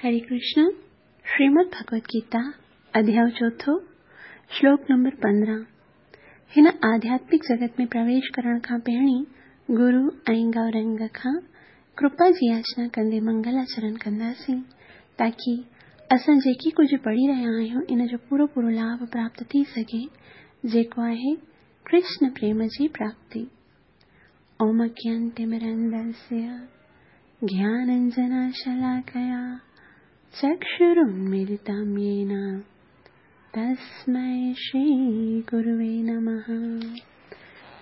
हरे कृष्ण, श्रीमद् भगवत गीता, अध्याय चोथों, श्लोक नंबर 15। हिन आध्यात्मिक जगत में प्रवेश करण खां पहिरीं गुरु ऐं गौरंग खां कृपा जी याचना कंदे मंगलाचरण कंदासीं, ताकी असां जेकी कुझु पढ़ी रहिया आहियूं इन जो पूरो पूरो लाभ प्राप्त थी सघे, जेको आहे कृष्ण प्रेम जी प्राप्ति। ओम अज्ञानतिमिरन्धस्य ज्ञानाञ्जनशलाकया चक्षुरुन्मीलितं येन तस्मै श्रीगुरुवे नमः।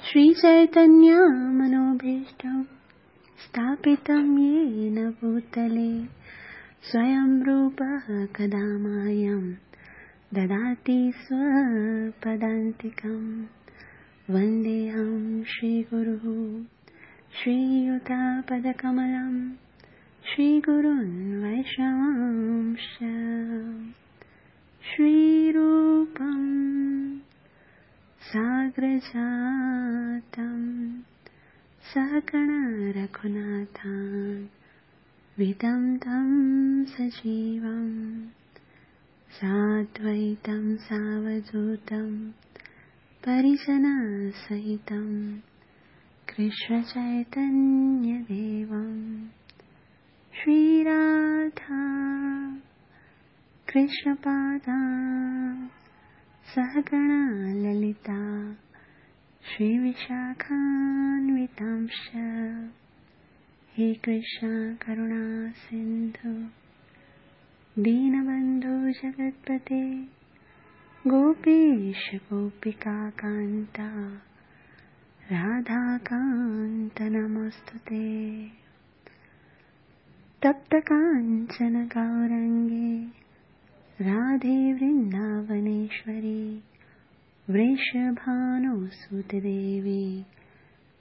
श्रीचैतन्यमनोभीष्टं स्थापितं येन भूतले स्वयं रूपः कदा मह्यं ददाति स्वपदान्तिकं। वन्देऽहं श्रीगुरुः श्रीयुतपदकमलं श्रीगुरुन् वैष्णवांश्च। श्रीरूपं साग्रजातं सहगण रघुनाथान् विदं तं सजीवं साद्वैतं सावधूतं परिजनसहितं कृष्णचैतन्यदेवं। श्रीराधा कृष्णपादा सहगणा ललिता श्रीविशाखान्वितांश्च। हे कृष्ण करुणा सिन्धु दीनबन्धु जगत्पते गोपेश गोपिकान्ता राधाकान्त नमोऽस्तुते। तप्त काञ्चन गौरङ्गे राधे वृन्दावनेश्वरी वृषभानुसुते देवी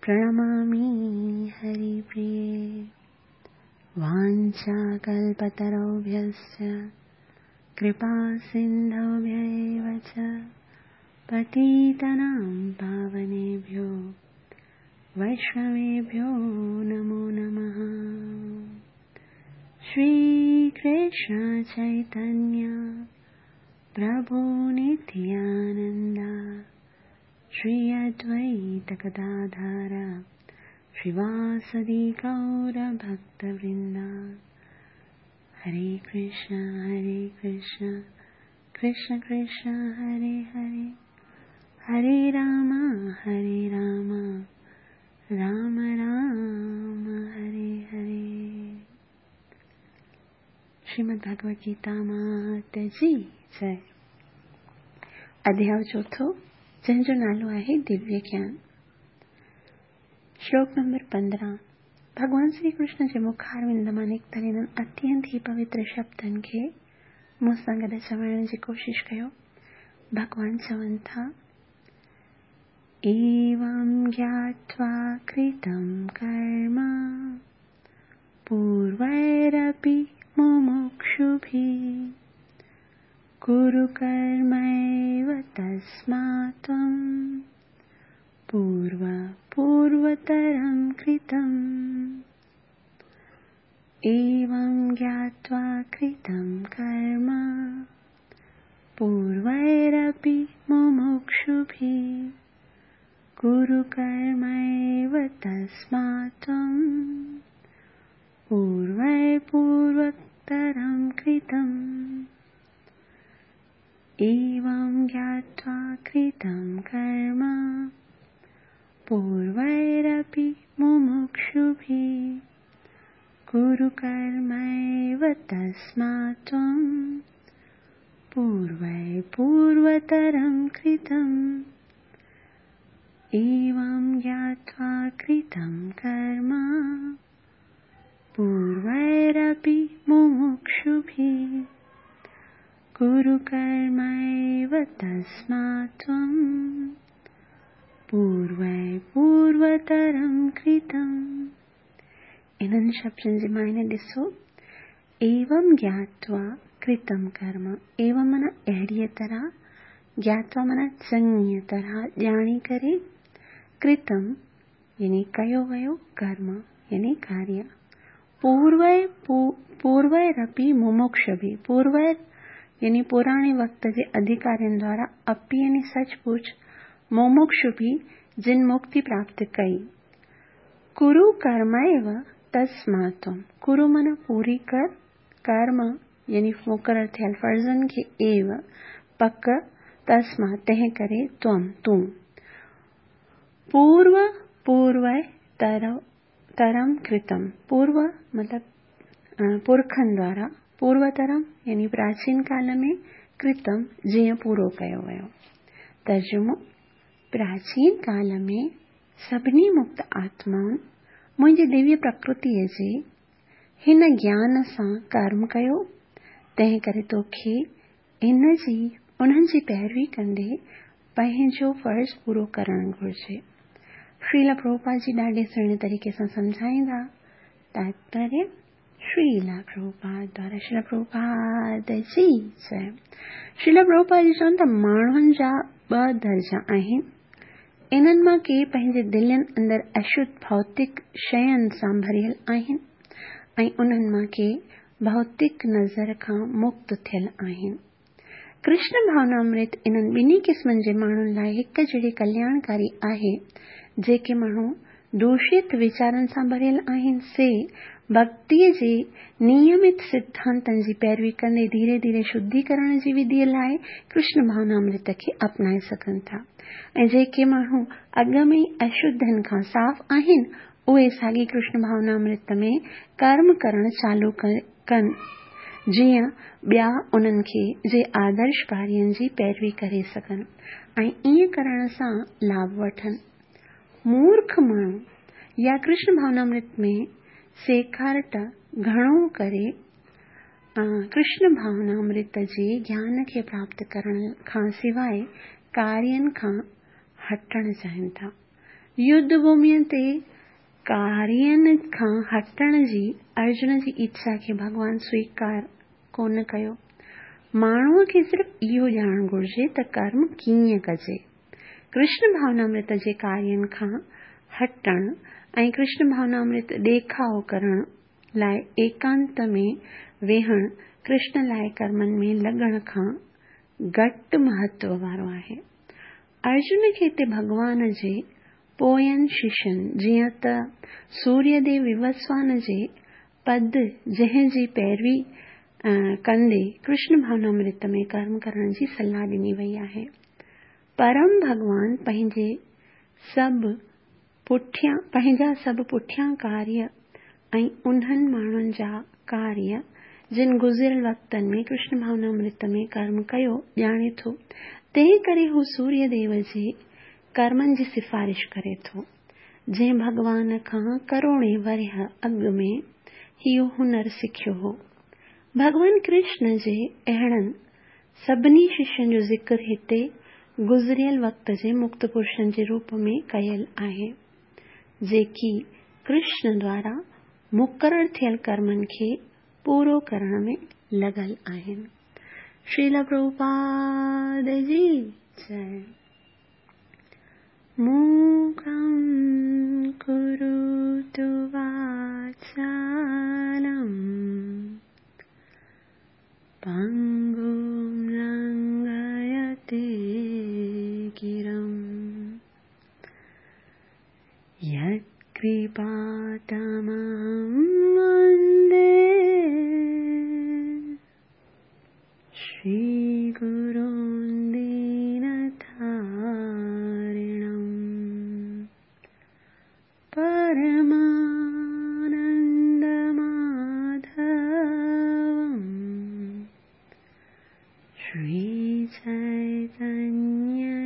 प्रणमामि हरिप्रिये। वाञ्छाकल्पतरुभ्यश्च कृपा सिन्धुभ्य एव च पतितानां पावनेभ्यो वैष्णवेभ्यो नमो नमः। श्री कृष्ण चैतन्य प्रभु नित्यानंद श्री अद्वैत गदाधर श्रीवासदि गौर भक्तवृंद। हरे कृष्ण कृष्ण कृष्ण हरे हरे, हरे राम राम राम हरे हरे। श्रीमद् भगवद गीता मात जी जय। अध्याय चोथों, जंहिंजो नालो आहे दिव्य ज्ञान। श्लोक नंबर 15। भॻवान श्री कृष्ण जे मुखारविंद मां निकितल इन्हनि अत्यंत ई पवित्र शब्दनि खे मूं सां गॾु चवण जी कोशिशि कयो। भॻवान चवनि था, एवं ज्ञात्वा कृतं कर्म पूर्वैरपि मुमुक्षुभिः कुरु कर्मैव तस्मात् त्वं पूर्व पूर्वतरं कृतम्। एवं ज्ञात्वा कृतं कर्म पूर्वैरपि मुमुक्षुभिः कुरु कर्मैव तस्मात् त्वं पूर्वैः पूर्वतरं कृतम्। एवं ज्ञात्वा कृतं कर्म पूर्वैरपि मुमुक्षुभिः कुरु कर्मैव तस्मात् त्वं पूर्वैः पूर्वतरं कृतम्। एवं ज्ञात्वा कृतं कर्म पूर्वैरपि मुमुक्षुभिः कुरु कर्मैव तस्मात् त्वं पूर्वैः पूर्वतरं कृतम्। इन्हनि शब्दनि जे मायने ॾिसो, एवं ज्ञात्वा कृतं कर्म। एवं माना अहिड़ीअ तरह, ज्ञात्वा माना चङीअ तरह ॼाणी करे, कृतं यानी कयो वयो, कर्म यानी कार्य, پوروي پورويرپي ممڪشڀي، پوروير يعني پراڻي وقت جي اڌڪارين دوارا، اپي يعني سچ پچ، ممڪشڀي جن مڪتي پراپت ڪئي. ڪرو ڪرميو تسمات تم، ڪرو معنيٰ پوري ڪر، ڪرم يعني مقرر ٿيل فرضن کي ايو پڪ، تسمات تنهن ڪري، تم تون. پورو پوروي ترم ڪرتم، پورو مطلب پرکن دوارا، پوروترم يعني پراچين ڪال ۾، ڪرتم جيئن پورو ڪيو ويو. ترجمو، پراچين ڪال ۾ سڀني مڪت آتمائن منهنجي دويه پرڪرتيء جي هن گيان سان ڪرم ڪيو، تنهن ڪري توکي ان جي انهن جي پيروي ڪندي پنهنجو فرض پورو ڪرڻ گهرجي. شريلا پرڀوپاد جي ڏاڍي سهڻي طريقي سان سمجهائيندا. تاتپريه، شريلا پرڀوپاد دوارا شريلا پرڀوپاد جي جئي. شريلا پرڀوپاد جي چون ته ماڻهن جا ٻه درجا آهن. انهن مان ڪي پنهنجي دلين اندر اشڌ ڀوتڪ شين سان ڀريل آهن ۽ انهن مان ڪي ڀوتڪ نظر کان مڪت ٿيل آهن. ڪرشن ڀاونامرت انهن ٻنهي قسمن جي ماڻهن لاء هڪ جهڙي ڪلياڻڪاري آهي. جيڪي ماڻهو دوشت ويچارن سان ڀريل آهن، سي ڀڳتيء جي نيمت سڌانتن جي پيروي ڪندي ڌيري ڌيري شڌيڪرڻ جي وڌيء لاء ڪرشن ڀاونامرت کي اپنائي سگهن ٿا ۽ جيڪي ماڻهو اڳ ۾ ئي اشڌين کان صاف آهن، اهي ساڳي ڪرشن ڀاونامرت ۾ ڪرم ڪرڻ چالو ڪن، جيئن ٻيا انهن کي جي آدرش ڪارين جي پيروي ڪري سگهن ۽ ائين ڪرڻ سان لاڀ وٺن. مورک ماڻهو يا ڪرشن ڀاونامرت ۾ سيکارٽ گهڻو ڪري ڪرشن ڀاونامرت جي گيان کي پراپت ڪرڻ کان سواء ڪارين کان هٽڻ چاهين ٿا. يڌ ڀوميء تي ڪارين کان هٽڻ جي ارجن جي اڇا کي ڀڳوان سويڪار ڪونه ڪيو. ماڻهوء کي صرف اهو ڄاڻڻ گهرجي ته ڪرم ڪيئن ڪجي. ڪرشن ڀاونامرت جي ڪارين کان هٽڻ ۽ ڪرشن ڀاونامرت ڏيکاء ڪرڻ لاء ايڪانت ۾ ويهڻ ڪرشن لاء ڪرمن ۾ لڳڻ کان گهٽ مهتو وارو آهي. ارجن کي هتي ڀڳوان جي پوين ششين جيئن ته سوريه ديو ووسوان جي پد جنهن جي پيروي ڪندي ڪرشن ڀاونامرت ۾ ڪرم ڪرڻ جي صلاح ڏني وئي آهي. پرم ڀڳوان پنهنجي سڀ پٺيان پنهنجا سڀ پٺيان ڪاريه ۽ انهن ماڻهن جا ڪاريه جن گذريل وقتن ۾ ڪرشن ڀاونامرت ۾ ڪرم ڪيو ڄاڻي ٿو، تنهن ڪري هو سوريه ديو جي ڪرمن جي سفارش ڪري ٿو، جنهن ڀڳوان کان ڪروڙين ورهيه اڳ ۾ اهو هنر سکيو هو. ڀڳوان ڪرشن جي اهڙن سڀني ششين جو ذڪر هتي گذريل وقت جي مڪت پرشن جي روپ ۾ ڪيل آهي، جيڪي ڪرشن دوارا مقرر ٿيل ڪرمن کي پورو ڪرڻ ۾ لڳل آهن. شريلا پرڀوپاد جي جئي. موڪم ڪروتو واچالم. پنگم لنگهيتي گرم يت ڪرپا وندي شري گرون دينتارڻم پرمانند ماڌوم شري چيتنيه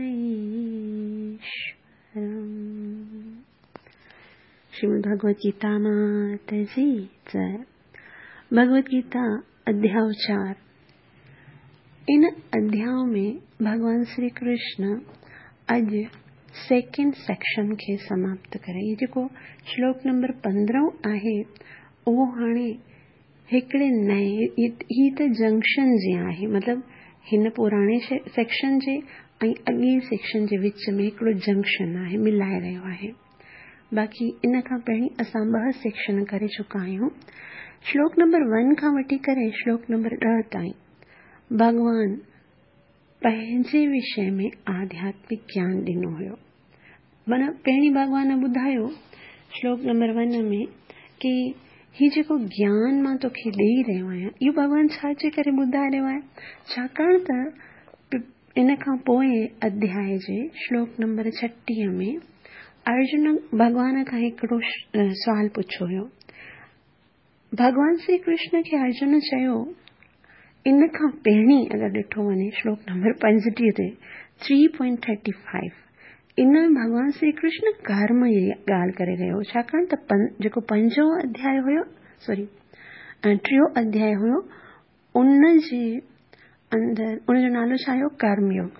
ايشورم. شريمد ڀڳوت گيتا مات جي جئي. ڀڳوت گيتا اڌياء 4. ان اڌياء ۾ ڀڳوان شري ڪرشن اڄ سيڪنڊ سيڪشن کي سماپت ڪري هي جيڪو شلوڪ نمبر 15 آهي اهو هاڻي هڪڙي نئين هي ته جنڪشن جيان آهي مطلب هن پراڻي سيڪشن جي ۽ اڳئين سيڪشن جي وچ ۾ هڪڙو جنڪشن آهي ملائي رهيو آهي. باقي ان کان پهرين اسان ٻه سيڪشن ڪري چڪا آهيون. شلوڪ نمبر ون کان وٺي ڪري شلوڪ نمبر 10 تائين ڀڳوان پنهنجي وشي ۾ آڌياتمڪ گيان ڏنو هيو. معنيٰ پهرين ڀڳوان ٻڌايو شلوڪ نمبر ون ۾ ڪي هي جيڪو گيان مان توکي ڏيئي رهيو آهيان اهو ڀڳوان ڇا جي ڪري ٻڌائي رهيو آهي؟ ڇاڪاڻ ته ان کان پوئين اڌياء جي شلوڪ نمبر 36 ۾ ارجن ڀڳوان کان هڪڙو سوال پڇيو هيو. ڀڳوان شري ڪرشن کي ارجن چيو، ان کان پهرين اگر ڏٺو وڃي شلوڪ نمبر 35 تي، 3.35، ان ۾ ڀڳوان شري ڪرشن ڪرم جي ڳالهه ڪري رهيو هو، ڇاڪاڻ ته جيڪو پنجون اڌياء هيو، سوري، ٽيون اڌياء هيو، ان جي اندر ان جو نالو ڇا هيو؟ ڪرم يوگ.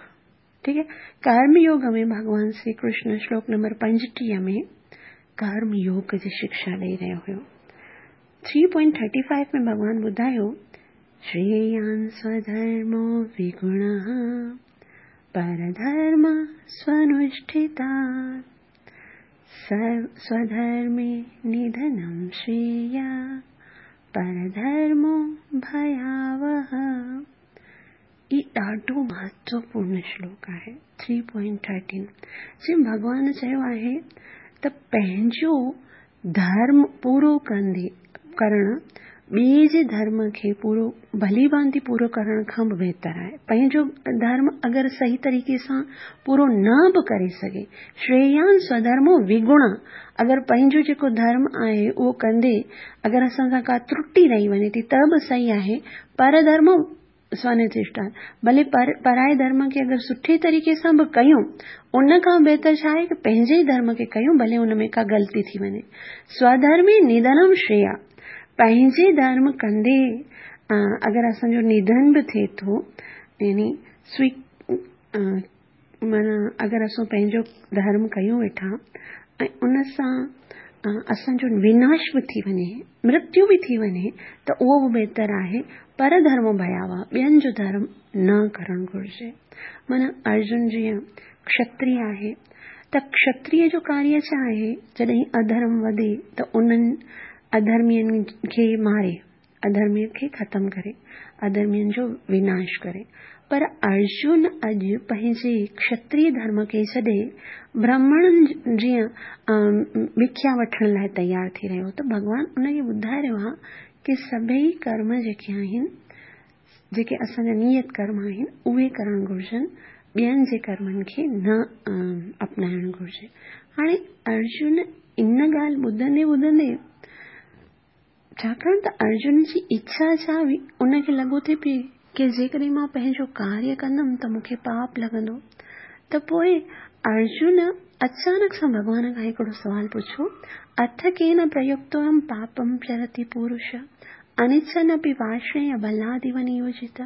ٺيڪ آهي، ڪرم يوگ ۾ ڀڳوان شري ڪرشن شلوڪ نمبر 35 ۾ ڪرم يوگ جي شڪشا ڏئي رهيو هيو. 3.35 ۾ ڀڳوان ٻڌايو، شريان سوڌرمو وگڻ پرڌرم سونشٺتات سوڌرمي نڌنم شريا پرڌرمو ڀياوه. هي ڏاڍو مهتوپورڻ شلوڪ آهي 3.13 جنهن ڀڳوان چيو آهي ته پنهنجو ڌرم پورو ڪندي ڪرڻ ٻئي جي ڌرم کي پورو ڀلي ڀانتي پورو ڪرڻ کان به بهتر آهي. پنهنجو ڌرم اگر صحيح طريقي سان پورو نه به ڪري سگهي، شريان سوڌرمو وگڻ، اگر پنهنجو جيڪو ڌرم آهي اهو ڪندي اگر اسان سان ڪا ترٽي رهي وڃي ٿي ته به صحيح آهي، پر ڌرم سونتشٽان، ڀلي پرائي ڌرم کي اگر سٺي طريقي سان به ڪيون، ان کان بهتر ڇا آهي ڪه پنهنجي ئي ڌرم کي ڪيون ڀلي ان ۾ ڪا غلطي ٿي وڃي. سوڌرمي نڌنم شريا، پنهنجي ڌرم ڪندي اگر اسان جو نڌن به ٿئي ٿو يعني سوي معنيٰ اگر اسان پنهنجو ڌرم ڪيون ويٺا ۽ ان سان اسان جو وناش به ٿي وڃي، مرتيو به ٿي وڃي ته اهو به بهتر آهي پر ڌرم ڀياوه، ٻين جو ڌرم نه ڪرڻ گهرجي. معنيٰ ارجن جيئن کشتري آهي ته کشتري جو ڪاريه ڇا آهي؟ جڏهن اڌرم وڌي ته انهن اڌرمين کي ماري. اڌرمين کي ختم ڪري، اڌرمين جو وناش ڪري. پر ارجن اڄ پنهنجي کشتري ڌرم کي ڇڏي برهمڻن جيان بکيا وٺڻ لاء تيار ٿي رهيو ته ڀڳوان ان کي ٻڌائي رهيو آهي ڪي سڀئي ڪرم جيڪي آهن، جيڪي اسان جا نيت ڪرم آهن، اهي ڪرڻ گهرجن، ٻين جي ڪرمن کي نه اپنائڻ گهرجي. هاڻي ارجن ان ڳالهه ٻڌندي ٻڌندي ڇاڪاڻ ته ارجن جي اڇا ڇا هئي؟ ان کي لڳو ٿي پئي ڪي جيڪڏهن مان پنهنجو ڪاريه ڪندم ته مون کي پاپ لڳندو. ته پوء ارجن اچانڪ سان ڀڳوان کان هڪڙو سوال پڇيو، اٿ ڪين پريڪتوهم پاپم چرتي پورش، انڇن اپي وارشڻيه بلاديو نيوجت.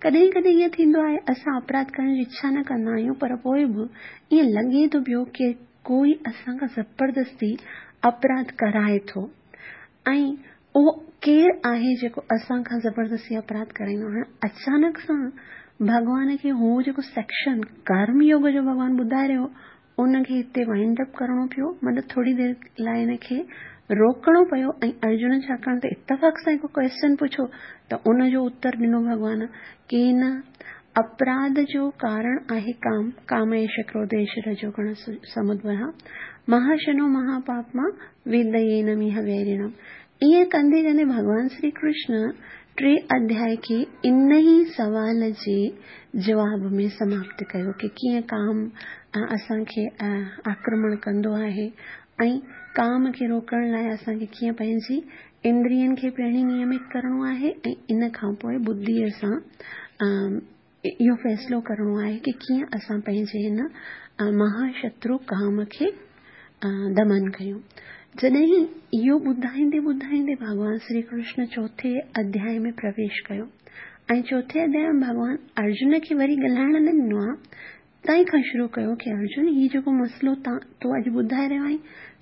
ڪڏهن ڪڏهن ائين ٿيندو آهي اسان اپراڌ ڪرڻ جي اڇا نه ڪندا آهيون پر پوء به ائين لڳي ٿو پيو ڪي ڪوئي اسان کان زبردستي اپراڌ ڪرائي ٿو. ۽ اهو ڪير آهي جيڪو اسان کان زبردستي اپراڌ ڪرائيندو؟ هاڻ اچانڪ سان ڀڳوان کي هو جيڪو سيڪشن ڪرم يوگ جو ڀڳوان ٻڌائي رهيو هو ان کي هتي وائنڊ اپ ڪرڻو پيو، مطلب ٿوري دير لاء ان کي روڪڻو پيو ۽ ارجن ڇاڪاڻ ته اتفاق سان هڪ ڪويسچن پڇيو ته ان جو اتر ڏنو ڀڳوان ڪي نه اپراڌ جو ڪارڻ آهي ڪام، ڪام ايش ڪروڌ ايش رجو گڻ سمدڀوه مهاشنو مهاپاپما ويدينميهه ويريڻم. ائين ڪندي ڪندي ڀڳوان شري ڪرشن ٽي اڌياء کي ان ئي سوال جي جواب ۾ سماپت ڪيو ڪي ڪيئن ڪام اسان کي آڪرمڻ ڪندو آهي ۽ ڪام کي روڪڻ لاء اسان کي ڪيئن پنهنجي اندرين کي پهرين نيمت ڪرڻو آهي ۽ ان کان پوء ٻڌيء سان اهو فيصلو ڪرڻو آهي ڪي ڪيئن اسان پنهنجي هن مها شترو ڪام کي دمن ڪيون. جڏهن اهو ٻڌائيندي ٻڌائيندي ڀڳوان شري ڪرشن چوٿين اڌياء ۾ پرويش ڪيو ۽ چوٿين اڌياء ۾ ڀڳوان ارجن کي وري ڳالهائڻ نه ڏنو آ تنهن کان شروع ڪيو ڪي ارجن هي جيڪو مسئلو تون اڄ ٻڌائي رهيو آهين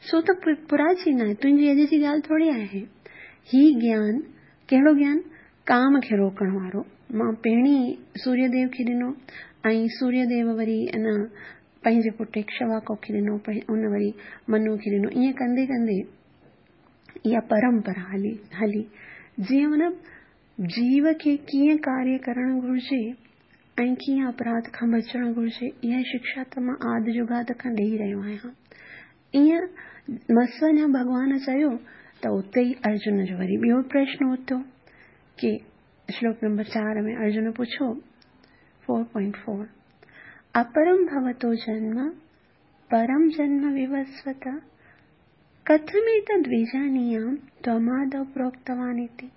سو ته پراچين آهي تنهنجي اڄ جي ڳالهه ٿوري آهي. هي گيان ڪهڙو گيان؟ ڪام کي روڪڻ وارو مان پهرين سوريه ديو کي ڏنو ۽ سوريه ديو وري ان پنهنجي پٽ اڪشواڪو کي ڏنو، ان وري منو کي ڏنو، ائين ڪندي ڪندي اها پرمپرا هلي هلي. جيئن مطلب جيو کي ڪيئن ڪاريه ڪرڻ گهرجي ۽ ڪيئن اپراڌ کان بچڻ گهرجي، اها شڪشا ته مان آد جڳاد کان ڏيئي رهيو آهيان. ائين مس اڃا ڀڳوان چيو ته اتي ئي ارجن جو وري ٻيو پرشن اٿيو ڪي شلوڪ نمبر 4 ۾ ارجن پڇيو، 4.4 اپرم ڀوتو جنم پرم جنم ووسوت ڪٿميتد ويجانيام تومادو پروڪتوان اتي.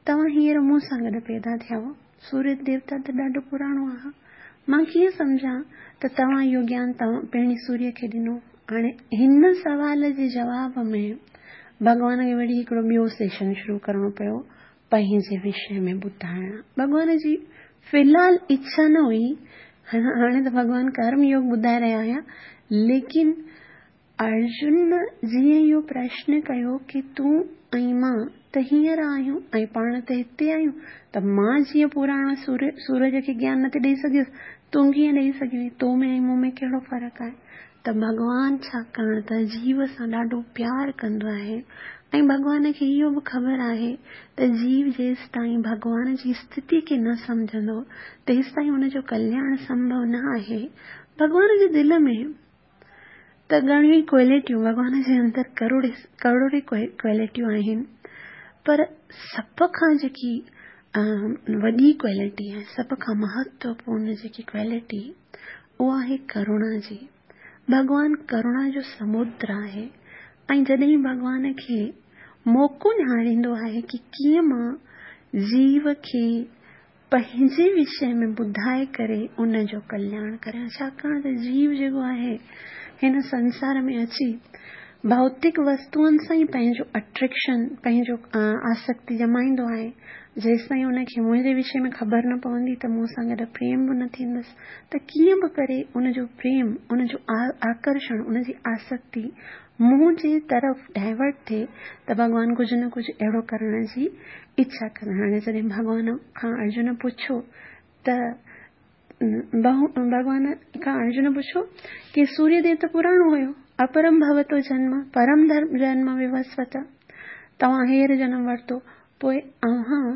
توهان هينئر مون سان گڏ پيدا ٿيا هئو. سوريه ديوتا ته ڏاڍو پراڻو آهي. مان ڪيئن سمجهان ته توهان اهو گيان توهان پهرين سوريه کي ڏنو. هاڻي هن سوال جي جواب ۾ ڀڳوان کي وري هڪڙو ٻيو سيشن شروع ڪرڻو پيو پنهنجي وشي ۾ ٻڌائڻ. ڀڳوان جي في الحال اڇا نه هئي. هاڻي ته ڀڳوان ڪرم يوگ ٻڌائي رهيا هيا، ليڪن ارجن جيئن اهو پرشن ڪيو ڪي تون ۽ مان ته هينئر آهيون ۽ پاڻ ته هتي آهيون ته مان جيئن پراڻا سورج کي گيان نه ٿي ڏئي سگهيس تون ڪيئن ڏئي سگهيو آهين تو ۾ ۽ مون ۾ ڪهڙو فرق آهي ته ڀڳوان ڇاڪاڻ ته جيو سان ڏاڍو پيار ڪندو آهي ۽ ڀڳوان کي اهو به خبر آهي ته جيو جيستائين ڀڳوان جي اسٿتي کي نه سمجهندو تيستائين ان جو ڪلياڻ سنڀو نه آهي ڀڳوان جي دل ۾ ته گهڻيون ئي ڪوالٽيون ڀڳوان جي اندر ڪروڙين ڪروڙين ڪوالٽيون آهن پر سڀ کان جيڪي وڏي ڪوالٽي آهي سڀ کان مهتوپورڻ جيڪي ڪوالٽي اها آهي ڪروڻا جي. ڀڳوان ڪروڻا جو سمندر آهي ۽ جڏهن ڀڳوان کي موقعو نهاريندو آهي ڪي ڪيئن مان جيو کي پنهنجي وشي ۾ ٻڌائي ڪري ان جو ڪلياڻ ڪريان، ڇاڪاڻ ته جيو جيڪو آهي هن سنسار ۾ اچي ڀوتڪ وستوئن سان ئي پنهنجو اٽريڪشن، پنهنجو آسڪتي ڄمائيندو آهي، جيستائين ان کي منهنجي وشي ۾ خبر نه پوندي ته مون سان گڏ پريم به نه ٿيندس ته ڪيئن به ڪري ان جو پريم، ان جو آڪرشڻ، ان جي آسڪتي منهنجي طرف ڊائيورٽ ٿئي ته ڀڳوان ڪجهه نه ڪجهه اهڙو ڪرڻ جي اڇا ڪن. هاڻي جڏهن ڀڳوان کان ارجن پڇيو ته ڀڳوان کان ارجن پڇيو ڪي سوريه ديو ته پراڻو هيو، اپرم ڀوتو جنم پرم جنم ووسوت، توهان هينئر جنم ورتو، پوء اوهان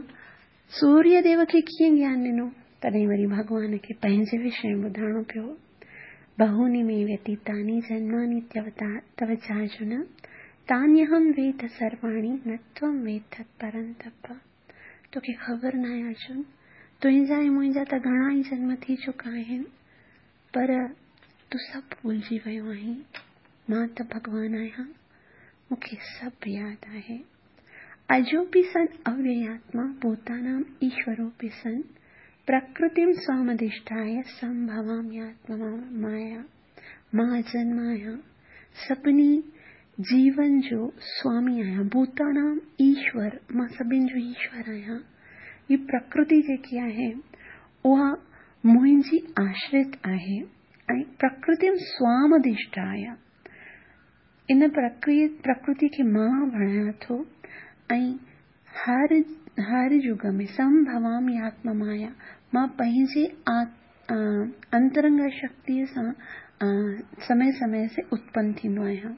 سوريه ديو کي ڪيئن گيان ڏنو؟ تڏهن وري ڀڳوان کي پنهنجي وشي ۾ ٻڌائڻو پيو. بهوني مي ويتيتاني جنماني تو چارجن، تانيهم ويد سرواڻي نه تون ويد پرنتپ. توکي خبر ناهي ارجن، تنهنجا ۽ منهنجا ته گهڻا ئي جنم ٿي چڪا آهن، پر تون سڀ ڀلجي ويو آهين. مان ته ڀڳوان آهيان، مون کي سڀ ياد آهي. اجوپي سن اويياتما ڀوتانام ايشوروپي سن پرڪرتيم سوامڌشٺايه سنڀوامياتما مايا. مان اجنما آهيان، سڀني جيون جو سوامي آهيان، ڀوتانام ايشور، مان سڀن جو ايشور آهيان. هي پرڪرتي جيڪي آهي اها منهنجي آشرت آهي ۽ پرڪرتيم سوامڌشٺايه ان پرڪرتي کي مان بڻايان ٿو ۽ هر هر يگ ۾ سنڀوامي آتما مايا مان پنهنجي انترنگ شڪتيء سان سمي سمي سي اتپن ٿيندو آهيان.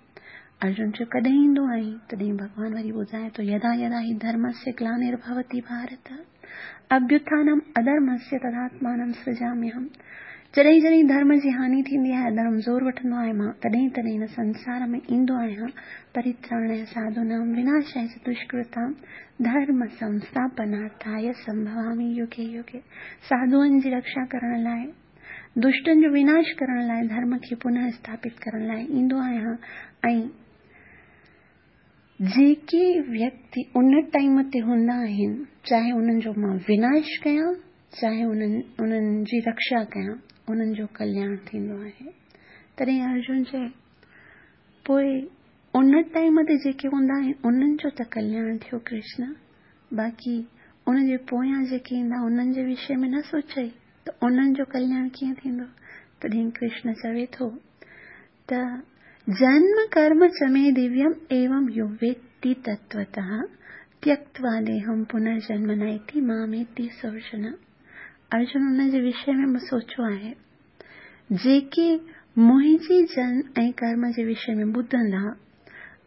ارجن چيو ڪڏهن ايندو آهين؟ تڏهن ڀڳوان وري ٻڌائي ٿو يدا يدا هي ڌرمسيه گلانرڀوتي ڀارت اڀيوٿانم اڌرمسيه تداتمانم سرجاميهم جڏهن جڏهن ڌرم جي هاني ٿيندي آهي، اڌرم زور وٺندو آهي، مان تڏهن تڏهن هن سنسار ۾ ايندو آهيان، پريتراڻاي ساڌونام وناشاي چ دشڪرتام ڌرم سنسٿاپنارٿاي سنڀوامي يگي يگي ساڌوئن جي رڪشا ڪرڻ لاء، دشٽن جو وناش ڪرڻ لاء، ڌرم کي پنهه اسٿاپت ڪرڻ لاء ايندو آهيان ۽ جيڪي ويڪتي ان ٽائيم تي هوندا آهن، چاهي انهن جو مان وناش ڪيان، چاهي انهن انهن جي رڪشا ڪيان، انهن جو ڪلياڻ ٿيندو آهي. تڏهن ارجن چئي، پوء ان ٽائيم تي جيڪي هوندا آهن، انهن جو ته ڪلياڻ ٿيو ڪرشن، باقي ان جي پويان جيڪي ايندا، انهن جي وشي ۾ نه سوچئي ته انهن جو ڪلياڻ ڪيئن ٿيندو؟ تڏهن ڪرشن چوي ٿو ته جنم ڪرم چ مي دويم ايوم يو ويتي تتوتः تيڪتوا ديهم پنرجنم نيتي ماميتي سورجن. ارجن ان جي وشي ۾ به سوچيو آهي. جيڪي منهنجي جنم ۽ ڪرم جي وشي ۾ ٻڌندا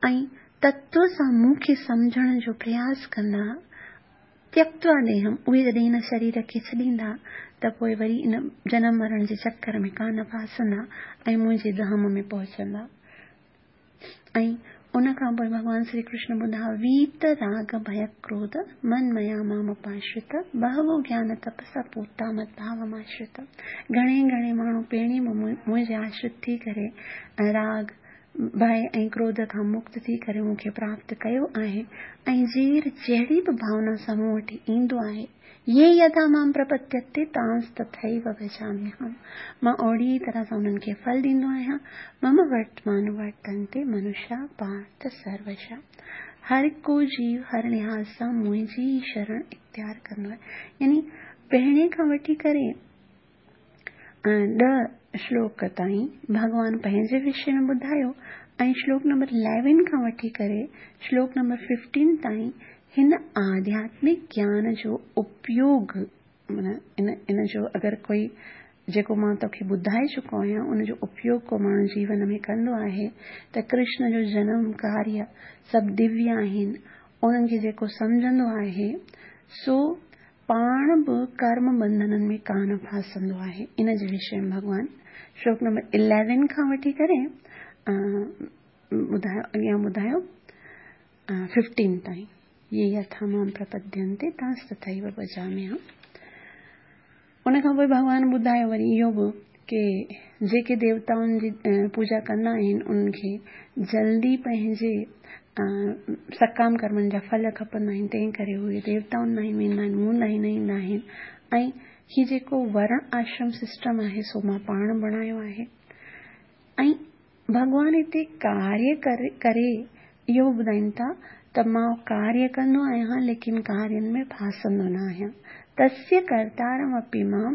۽ تتو سان مون کي سمجهڻ جو پرياس ڪندا، تيڪتوا ديهم، اهي جڏهن هن شرير کي ڇڏيندا ته پوء وري ان جنم مرڻ جي چڪر ۾ ڪانه ڦاسندا ۽ منهنجي ڌام ۾ پهچندا. ۽ ان کان پوء ڀڳوان شري ڪرشن ٻڌايو، ويت راڳ ڀئه ڪروڌ، من ميا مام اپاشرت، بهوو گيان تپسا پوتا مت ڀاو ماشرت. گهڻي گهڻي ماڻهو پهرين به منهنجي آشرت ٿي ڪري راڳ، ڀئه ۽ ڪروڌ کان مڪت ٿي ڪري مون کي پراپت ڪيو آهي ۽ جير جهڙي به ڀاونا سان مون وٽ ايندو آهي، يي يٿا مام پرپدينتي تانس تٿيو ڀجاميهم، مان اوهڙي ئي طرح سان انهن کي ڦل ڏيندو آهيان، مم ورتمانوورتنتي منشا پارٿ سروشا، هر ڪو جيو هر لحاظ سان منهنجي ئي شرڻ اختيار ڪندو آهي. يعني پهرين کان وٺي ڪري ڏهه شلوڪ تائين ڀڳوان پنهنجي وشي ۾ ٻڌايو ۽ شلوڪ نمبر اليون کان وٺي ڪري شلوڪ نمبر ففٽين تائين هن آڌياتمڪ گيان جو اپيوگ معنيٰ ان ان جو اگر ڪوئي جيڪو مان توکي ٻڌائي چڪو آهيان ان جو اپيوگ ڪو ماڻهو جيون ۾ ڪندو آهي ته ڪرشن جو جنم ڪاريه سڀ دويه آهن انهن کي جيڪو سمجهندو آهي سو پاڻ به ڪرم بنڌنن ۾ ڪانه ڦاسندو آهي. ان جي وشي ۾ ڀڳوان شلوڪ نمبر اليون کان وٺي ڪري ٻڌايو اڳيان ٻڌايو ففٽين تائين يي يٿا مام پرپدينتي تانس تٿيو ڀجاميهم. ان کان پوء ڀڳوان ٻڌايو وري اهو به ڪي جيڪي ديوتائن جي پوڄا ڪندا آهن انهن کي جلدي پنهنجي سڪام ڪرمن جا ڦل کپندا آهن تنهن ڪري اهي ديوتائن ڏانهن ويندا آهن مون ڏانهن نه ايندا آهن ۽ هي جيڪو ورڻ آشرم سسٽم آهي سو مان پاڻ بڻايو آهي ۽ ڀڳوان هتي ڪاريه ڪري اهو به ٻڌائين ٿا ته مان ڪاريه ڪندو آهيان ليڪن ڪارين ۾ ڦاسندو نه آهيان. تسيه ڪرتارم اپي مام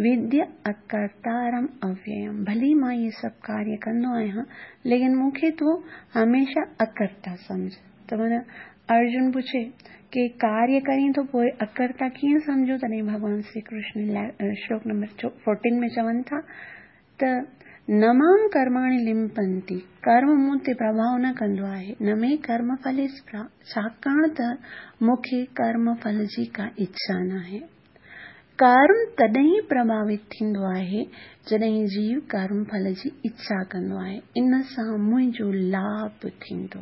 وديه اڪرتارم اوييم ڀلي مان اهي سڀ ڪاريه ڪندو آهيان ليڪن مون کي تون هميشه اڪرتا سمجهه. ته معنيٰ ارجن پڇي ڪي ڪاريه ڪرين ٿو پوء اڪرتا ڪيئن سمجهون تڏهن ڀڳوان شري ڪرشن شلوڪ نمبر فورٽين ۾ چون ٿا ته نه مام ڪرماڻي لمپنتي، ڪرم مون تي پرڀاء نه ڪندو آهي، نه مي ڪرم ڦلي سپرها، ڇاڪاڻ ته مون کي ڪرم ڦل جي ڪا اڇا ناهي. ڪرم تڏهن ئي پرڀاوت ٿيندو آهي، جڏهن جيو ڪرم ڦل جي اڇا ڪندو آهي، ان سان منهنجو لاڀ ٿيندو.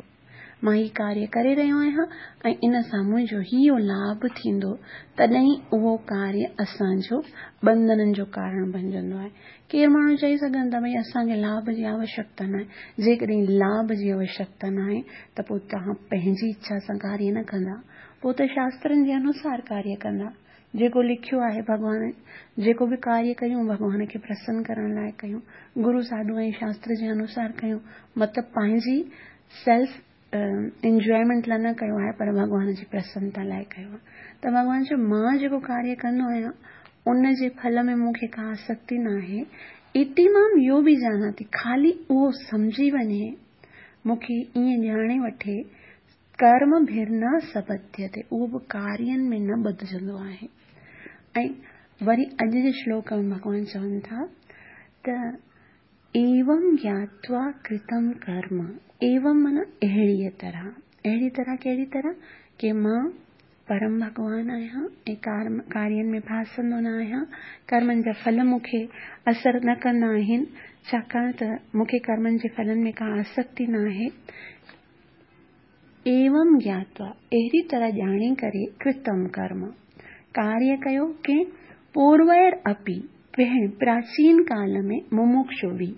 مان هي ڪاريه ڪري رهيو آهيان ۽ ان سان منهنجو هيء لاڀ ٿيندو، تڏهن اهو ڪاريه اسان جو ٻنڌنن جو ڪارڻ بنجندو آهي. ڪير ماڻهو چئي سگهن ٿا ڀئي اسان کي لاڀ جي آوشيڪتا ناهي. جيڪڏهن لاڀ جي آوشيڪتا ناهي ته پوء توهان پنهنجي اڇا سان ڪاريه نه ڪندا، پوء ته شاسترن جي انوسار ڪاريه ڪندا. جيڪو لکيو آهي ڀڳوان، جيڪو به ڪاريه ڪيون ڀڳوان کي پرسن ڪرڻ لاء ڪيون، گرو ساڌو ۽ شاستر جي انوسار ڪيون، مطلب پنهنجي سيلف انجوائمينٽ لاء نه ڪيو آهي پر ڀڳوان جي پرسنتا لاء ڪيو آهي ته ڀڳوان چيو مان جيڪو ڪاريه ڪندو آهيان ان جي ڦل ۾ مون کي ڪا آسڪتي ناهي اتي مام يو به جاناتي خالي اهو سمجهي وڃي مون کي ائين ڄاڻي وٺي ڪرم ڀر نه سبڌيتي اهو به ڪارين ۾ نه ٻڌجندو آهي ۽ وري اڄ جي شلوڪ ۾ ڀڳوان چون ٿا ته ايوم گياتوا ڪرتم ڪرم ايوم معنيٰ اهڙيء طرح اهڙي طرح ڪهڙي طرح ڪي مان پرم ڀڳوان آهيان ۽ ڪارين ۾ ڦاسندو نه آهيان ڪرمن جا ڦل مون کي اثر نه ڪندا آهن ڇاڪاڻ ته مون کي ڪرمن جي ڦلن ۾ ڪا آسڪتي نه آهي ايوم گياتوا، اهڙي طرح ڄاڻي ڪري، ڪرتم ڪرم، ڪاريه ڪيو، ڪنهن پوروير اپي، پهرين، پراچين ڪال ۾، ممڪشوڀي،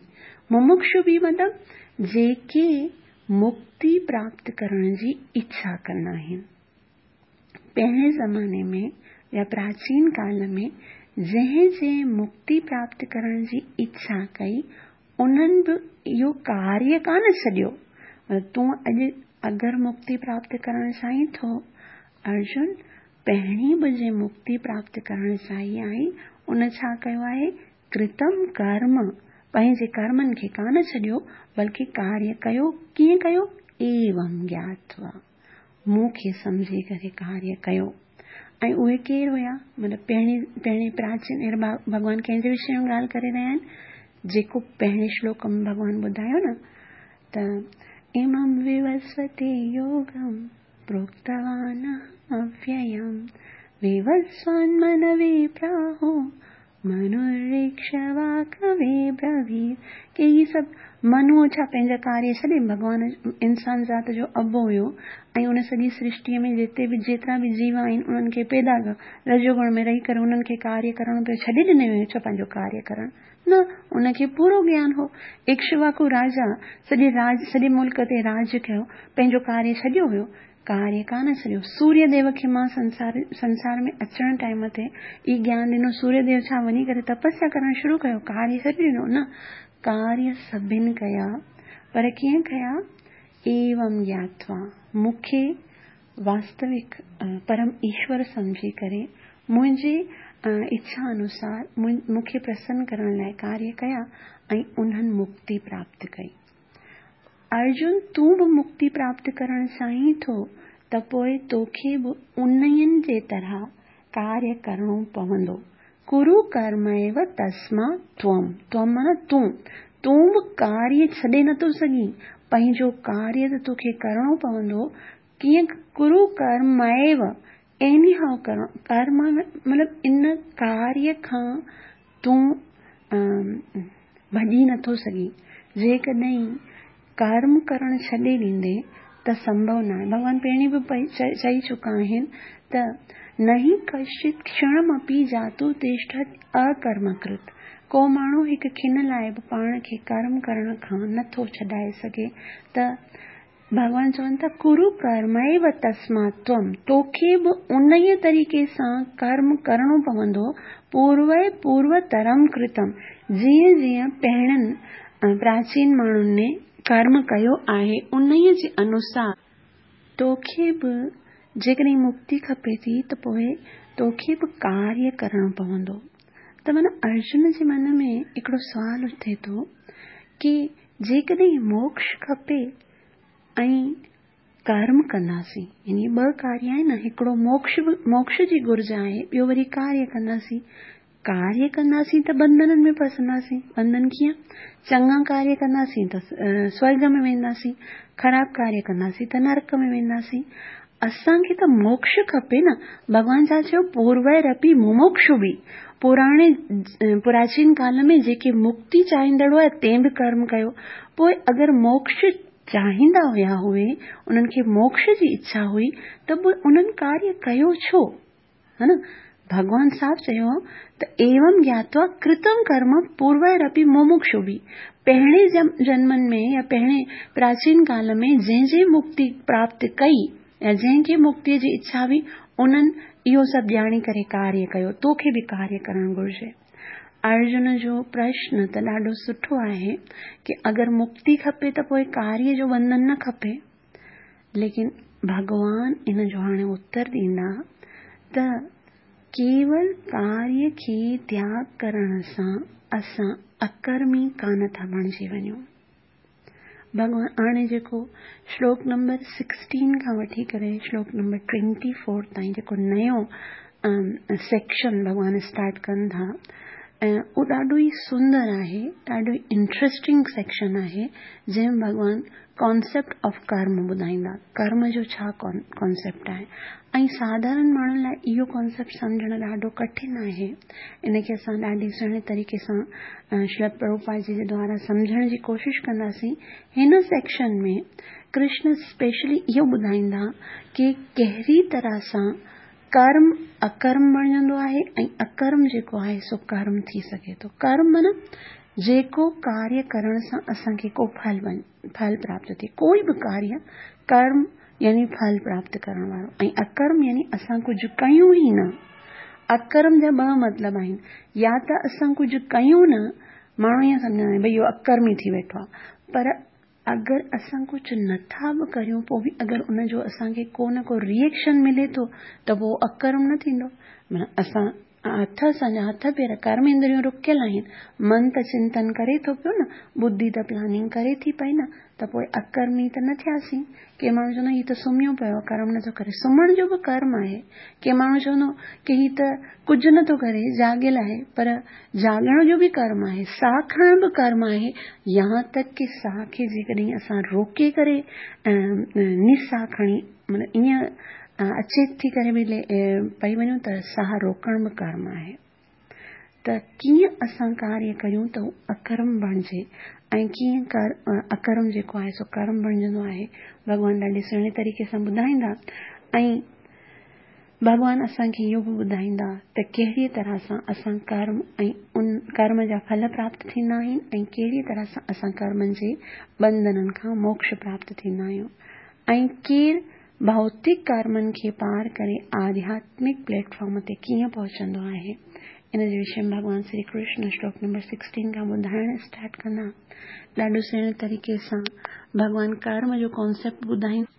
ممڪشوڀي مطلب جيڪي مڪتي پراپت ڪرڻ جي اڇا ڪندا آهن. پهرين زماني ۾ يا پراچين ڪال ۾ جنهن جنهن مڪتي پراپت ڪرڻ جي اڇا ڪئي، انهن به اهو ڪاريه ڪانه ڇڏيو. تون اڄ اگر مڪتي پراپت ڪرڻ چاهين ٿو، ارجن پهرين به جنهن مڪتي پراپت ڪرڻ چاهي آهي، ان ڇا ڪيو آهي؟ ڪرتم ڪرم، پنهنجي ڪرمن کي ڪانه ڇڏيو، بلڪه ڪاريه ڪيو، ڪيئن ڪيو؟ ايوم گياتوا. مون کي سمجهي ڪري ڪاريه ڪيو. ۽ اهي ڪير هيا؟ مطلب پهرين پهرين پراچين ڀڳوان ڪنهن جي وشي ۾ ڳالهه ڪري رهيا آهن؟ جيڪو پهرين شلوڪ ۾ ڀڳوان ٻڌايو نه ته امم ووسوتي يوگم پروڪتوان اوييم ووسوان منوي پراهو منورڪشواڪوي برويت ڪي هي سڀ منوء ڇا پنهنجا ڪاريه ڇڏي ڀڳوان انسان ذات جو ابو هيو ۽ ان سڄي سرشٽيء ۾ جتي به جيترا به جيو آهن انهن کي پيدا ڪيو رجوگڻ ۾ رهي ڪري انهن کي ڪاريه ڪرڻو پيو ڇڏي ڏنو ويو ڇا پنهنجو ڪاريه ڪرڻ نه ان کي پورو گيان هو اڪشواڪو راجا سڄي راج سڄي ملڪ تي راج ڪيو پنهنجو ڪاريه ڇڏيو هيو ڪاريه ڪانه ڇڏيو. سوريه ديو کي مان سنسار سنسار ۾ اچڻ ٽائيم تي ئي گيان ڏنو. سوريه ديو ڇا وڃي ڪري تپسيا ڪرڻ شروع ڪيو؟ ڪاريه ڇڏي ڏنو؟ نه، ڪاريه سڀن ڪيا، پر ڪيئن ڪيا؟ ايوم گياتوا، مون کي واستوڪ پرم ايشور سمجهي ڪري منهنجي اڇا انوسار مون کي پرسن ڪرڻ لاء ڪاريه ڪيا ۽ انهن مڪتي پراپت ڪئي. ارجن تون به مڪتي پراپت ڪرڻ چاهين ٿو ته پوء توکي به انهين جي طرح ڪاريه ڪرڻو پوندو. ڪرو ڪرميو تسما تم، تم معنيٰ تون، تون به ڪاريه ڇڏي نٿو سگهين، پنهنجو ڪاريه ته توکي ڪرڻو پوندو، ڪيئن ڪرو ڪرميو ايني هائو ڪرڻو، ڪرم مطلب ان ڪاريه کان تون ڀڄي نٿو سگهين. جيڪڏهن ڪرم ڪرڻ ڇڏي ڏيندين ته سنڀو ناهي. ڀڳوان پهرين به چئي چڪا آهن ته نهي ڪشچت ڪشڻمپي جاتو تشٺت اڪرمڪرت. ڪو ماڻهو هڪ کن لاء به پاڻ کي ڪرم ڪرڻ کان نٿو ڇڏائي سگهي ته ڀڳوان چون ٿا، ڪرو ڪرميو تسمات تم، توکي به انهيء طريقي سان ڪرم ڪرڻو پوندو، پوروي پوروترم ڪرتم، جيئن جيئن پهرين پراچين ماڻهن ڪرم ڪيو آهي، انهيء جي انوسار. توکي به جيڪڏهن مڪتي کپي ٿي ته پوء توکي به ڪاريه ڪرڻو پوندو. ته معنيٰ ارجن جي من ۾ هڪڙو سوال اٿي ٿو ڪي جيڪڏهن موڪش کپي ۽ ڪرم ڪنداسين يعني ٻه ڪاريه آهن نه هڪڙو موڪش به موڪش جي گهرج آهي ٻيو وري ڪاريه ڪنداسين ڪاريه ڪنداسين ته بنڌنن ۾ ڦسنداسين بنڌن ڪيئن چڱا ڪاريه ڪنداسين ته سورگ ۾ وينداسين خراب ڪاريه ڪنداسين ته نرڪ ۾ وينداسين اسان کي ته موڪش کپي نه. ڀڳوان ڇا چيو پورويرپي مموڪشوڀي پراڻي پراچين ڪال ۾ جيڪي مڪتي چاهيندڙ هئا تنهن به ڪرم ڪيو. پوء اگر موڪش چاهيندا هيا اهي انهن کي موڪش جي اڇا هئي ته پوء انهن ڪاريه ڪيو ڇو؟ ها نه؟ ڀڳوان صاف چيو ته ايوم گياتوا ڪرتم ڪرم پورويرپي مموڪشوڀي پهرين جنمن ۾ يا پهرين پراچين ڪال ۾ جنهن جنهن مڪتي پراپت ڪئي يا جنهن کي مڪتي جي اڇا هئي انهن اهو سڀ ڄاڻي ڪري ڪاريه ڪيو توکي به ڪاريه ڪرڻ گهرجي. ارجن جو پرشن ته ڏاڍو سٺو آهي ڪي اگر مڪتي کپي ته پوء ڪاريه جو بنڌن نه کپي. ليڪن ڀڳوان ان جو هاڻي اتر ڏيندا ته ڪيول ڪاريه کي تياڳ ڪرڻ سان اسان اڪرمي ڪانه ٿا بڻجي وڃون. ڀڳوان هاڻي جيڪو شلوڪ نمبر سڪسٽين کان وٺي ڪري شلوڪ نمبر ٽوئنٽي فور تائين جيڪو نيو سيڪشن ڀڳوان اسٽارٽ ڪن ٿا ۽ اهو ڏاڍو ئي سندر آهي ڏاڍو ئي انٽريسٽنگ سيڪشن آهي جنهن ۾ ڀڳوان ڪانسيپٽ آف ڪرم ٻڌائيندا ڪرم جو ڇا ڪانسيپٽ آهي ۽ ساڌارڻ ماڻهن لاء اهو ڪانسيپٽ سمجهڻ ڏاڍو ڪٺن آهي ان کي اسان ڏاڍي سهڻي طريقي سان شريل پرڀوپاد جي جي دوارا سمجهڻ جي ڪوشش ڪنداسين هن سيڪشن ۾ ڪرشن اسپيشلي اهو ٻڌائيندا ڪي ڪهڙي طرح سان ڪرم اڪرم بڻجندو آهي ۽ اڪرم جيڪو آهي سو ڪرم ٿي سگهي ٿو. ڪرم معنيٰ جيڪو ڪاريه ڪرڻ سان اسان کي ڪو ڦل ڦل پراپت ٿئي. ڪوئي به ڪاريه ڪرم يعني ڦل پراپت ڪرڻ وارو ۽ اڪرم يعني اسان ڪجهه ڪيون ئي نه. اڪرم جا ٻه مطلب آهن يا ته اسان ڪجهه ڪيون نه ماڻهو ائين سمجهندا آهن ڀئي اهو اڪرمي ٿي ويٺو آهي پر اگر اسان ڪجهه نه ٿا به ڪريون پوء به اگر ان جو اسان کي ڪو نه ڪو ري ايڪشن ملي ٿو ته پوء اڪرم نه ٿيندو معنيٰ اسان هٿ اسان جا هٿ پير ڪرم اندريون رڪيل آهن، من ته چنتن ڪري ٿو پيو نه، ٻڌي ته پلاننگ ڪري ٿي پئي نه، ته پوء اڪرمي ته نه ٿياسين. ڪي ماڻهو چوندا هي ته سمهيو پيو آهي، ڪرم نٿو ڪري. سمهڻ جو به ڪرم آهي. ڪي ماڻهو چوندو ڪي هي ته ڪجهه نٿو ڪري، جاڳيل آهي، پر جاڳڻ جو به ڪرم آهي، ساهه کڻڻ به ڪرم آهي، يهان تڪ ڪي ساهه کي جيڪڏهن اسان روڪي ڪري نساهه کڻي مطلب ائين اچيت ٿي ڪري به پئي وڃون ته ساهه روڪڻ به ڪرم آهي. ته ڪيئن اسان ڪاريه ڪريون ته هو اڪرم بڻجي ۽ ڪيئن اڪرم جيڪو آهي سو ڪرم بڻجندو آهي، ڀڳوان ڏاڍي سهڻي طريقي سان ٻڌائيندا ۽ ڀڳوان اسان کي اهو به ٻڌائيندا ته ڪهڙيء طرح سان اسان ڪرم ۽ ان ڪرم جا ڦل پراپت ٿيندا آهن ۽ ڪهڙيء طرح سان اسان ڪرمن جي ٻنڌنن کان موڪش پراپت ٿيندا آهيون ۽ ڪير ڀوتڪ ڪرمن کي پار ڪري آڌياتمڪ پليٽ فارم تي ڪيئن پهچندو آهي. ان جي وشي ۾ ڀڳوان شري ڪرشن شلوڪ نمبر سڪسٽين کان ٻڌائڻ اسٽارٽ ڪندا. ڏاڍو سهڻي طريقي سان ڀڳوان ڪرم جو ڪانسيپٽ ٻڌائيندا.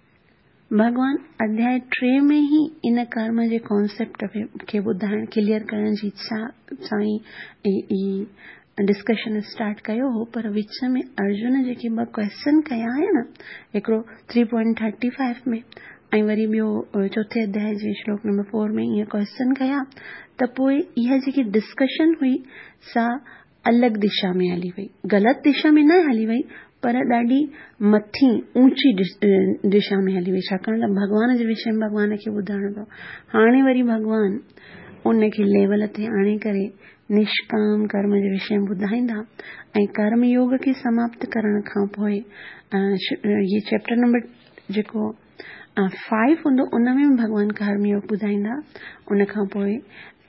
ڀڳوان اڌياء 3 ۾ ئي ان ڪرم جي ڪانسيپٽ کي ٻڌائڻ، ڪليئر ڪرڻ جي اڇا سان ئي هي ڊسڪشن اسٽارٽ ڪيو هو، پر وچ ۾ ارجن جيڪي ٻه ڪويسچن ڪيا آهن نه، هڪڙو ٿري پوائنٽ ٿرٽي فائيو ۾ ۽ وري ٻيو چوٿين اڌياء جي شلوڪ نمبر 4 ۾ ائين ڪويسچن ڪيا ته پوء اها جيڪي ڊسڪشن هئي سا الڳ دشا ۾ هلي وئي. غلط دشا ۾ نه هلي وئي پر ڏاڍي مٿي اوچي دشا ۾ هلي وئي ڇاڪاڻ ته ڀڳوان جي وشي ۾ ڀڳوان کي ٻڌائڻو پيو. هاڻي وري ڀڳوان ان کي ليول تي آڻي ڪري نشڪام ڪرم جي وشي ۾ ٻڌائيندا ۽ ڪرم يوگ کي سماپت ڪرڻ کان پوء هي چيپٽر نمبر جيڪو 5 هوندو ان ۾ به ڀڳوان ڪرم يوگ ٻڌائيندا ان کان پوء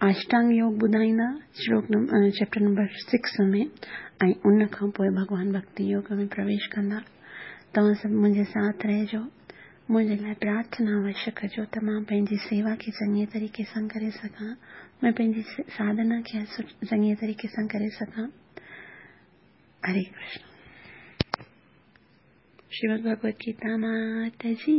اشٽانگ يوگ ٻڌائيندا شلوڪ چيپٽر نمبر 6 ۾ ۽ ان کان پوء ڀڳوان ڀڳتي يوگ ۾ پرويش ڪندا. توهان سڀ منهنجي ساٿ رهجو، منهنجي لاء پرارٿنا اوشيه ڪجو ته مان پنهنجي سيوا کي چڱي طريقي سان ڪري سگهان، مان پنهنجي ساڌنا کي چڱي طريقي سان ڪري سگهان. هري ڪرشن. شريمد ڀڳوت گيتا مات جي.